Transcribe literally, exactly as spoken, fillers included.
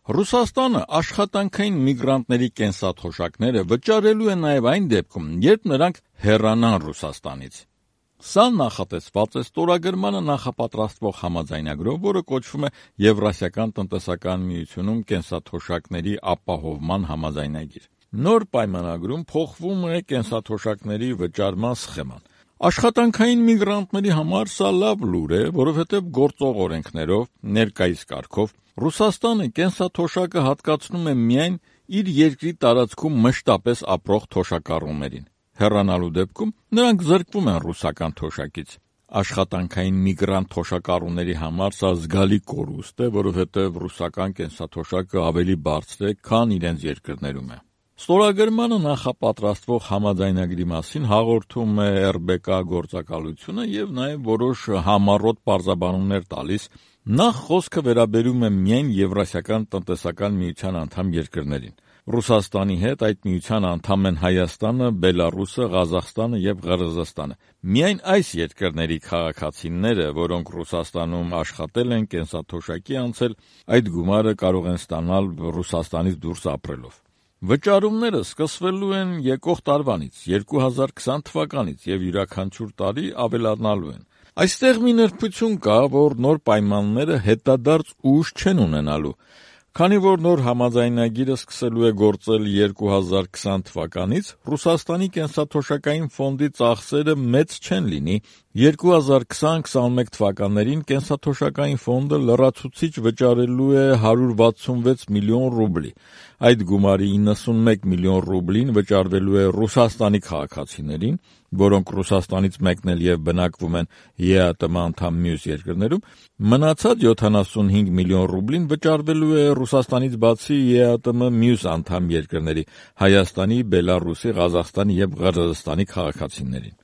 Ռուսաստանը աշխատանքային միգրանտների կենսաթոշակները վճարելու է նաև այն դեպքում, երբ նրանք հեռանան Ռուսաստանից։ Սա նախատեսված է ստորագրմանը նախապատրաստվող համաձայնագրով, որը կոչվում է Եվրասիական տնտեսական միությունում կենսաթոշակների ապահովման համաձայնագիր։ Նոր պայմանագրում փոխվում է կենսաթոշակների վճարման սխեման։ Աշխատանքային միգրանտների համար սա լավ լուր է, որովհետև գործող օրենքներով, ներկայիս կարգով, Ռուսաստանը կենսաթոշակը հատկացնում է միայն իր երկրի տարածքում մշտապես ապրող թոշակառուներին։ Հեռանալու դեպքում նրանք զրկվում են ռուսական թոշակից։ Աշխատանքային միգրանտ թոշակառուների համար սա զգալի կորուստ է, որովհետև ռուսական կենսաթոշակը ավելի բարձր է, քան իրենց երկրներում է։ Ստորագրմանը նախապատրաստվող համաձայնագրի մասին հաղորդում է Ռ B K գործակալությունը և նաև որոշ համառոտ պարզաբանումներ տալիս։ Նախ խոսքը վերաբերում է միայն Եվրասիական տնտեսական միության անդամ երկրներին։ Ռուսաստանի հետ այդ միության անդամ են Հայաստանը, Բելառուսը, Ղազախստանը և Ղրղզստանը։ Միայն այս երկրների քաղաքացիները, որոնք Ռուսաստանում աշխատել են, կենսաթոշակի անցել, այդ գումարը կարող են ստանալ Ռուսաստանից դուրս ապրելով։ Վճարումները սկսվելու են եկող տարվանից, երկու հազար քսան թվականից և յուրաքանչյուր տարի ավելանալու են։ Այստեղ մի նրբություն կա, որ նոր պայմանները հետադարձ ուժ չեն ունենալու։ Քանի որ նոր համաձայնագիրը սկսելու է գործել երկու հազար քսան թվականից, Ռուսաստանի կենսաթոշակային ֆոնդի ծախսերը մեծ չեն լինի։ երկու հազար քսան քսանմեկ թվականներին կենսաթոշակային ֆոնդը լրացուցիչ վճարելու է հարյուր վաթսունվեց միլիոն ռուբլի։ Այդ գումարի իննսունմեկ միլիոն ռուբլին վճարվելու է Ռուսաստանի քաղաքացիներին, որոնք Ռուսաստանից մեկնել և բնակվում են Է Ա Տ Մ անդամ մյուս երկրներում, մնացած յոթանասունհինգ միլիոն ռուբլին վճարվելու է Ռուսաստանից բացի Է Ա Տ Մ մյուս անդամ երկրների՝ Հայաստանի, Բելառուսի, Ղազախստանի և Ղրղզստանի քաղաքացիներին։